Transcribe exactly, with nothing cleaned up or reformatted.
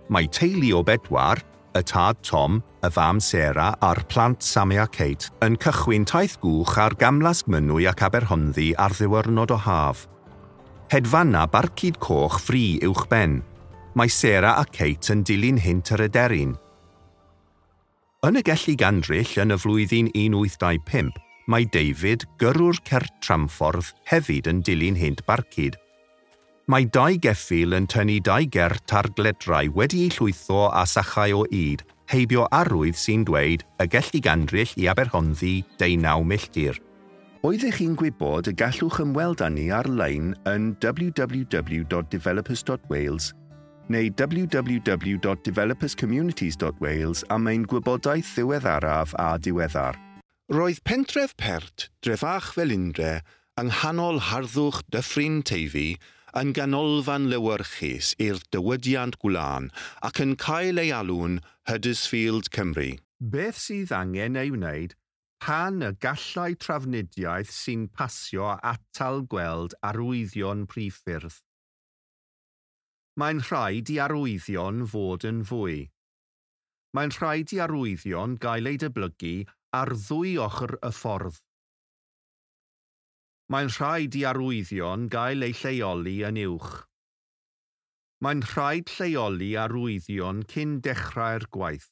Mae teulu o bedwar, y tad Tom, y fam Sarah a'r plant Sammy a Kate, yn cychwyn taith gwch ar gamlas Mynwy ac Aberhonddu ar ddiwrnod o haf. Hedfana barcud coch fri uwchben. Mae Sarah a Kate yn dilyn hynt yr aderyn. Yn y Gelli Gandryll yn y flwyddyn un wyth dau pump, mae David, gyrrwr cert tramffordd, hefyd yn dilyn hynt barcud. Mae dau geffyl yn tynnu dau gert ar gledrau wedi'u llwytho â sachau o ŷd, heibio arwydd sy'n dweud y Gelli Gandryll i Aberhonddu deunaw milltir. Oeddech chi'n gwybod y gallwch ymweld â ni ar-lein yn w w w dot developers dot wales neu w w w dot developers communities dot wales am ein gwybodaeth ddiweddaraf a diweddar. Roedd pentref Pert, Drefach Felindre, yng nghanol harddwch Dyffryn Teifi, yn ganolfan lewyrchus i'r diwydiant gwlân ac yn cael ei alw'n Huddersfield, Cymru. Beth sydd angen ei wneud pan y gallai trafnidiaeth sy'n pasio atal gweld arwyddion priffyrdd? Mae'n rhaid i arwyddion fod yn fwy. Mae'n rhaid i arwyddion gael eu dyblygu ar ddwy ochr y ffordd. Mae'n rhaid i arwyddion gael eu lleoli yn uwch. Mae'n rhaid lleoli arwyddion cyn dechrau'r gwaith.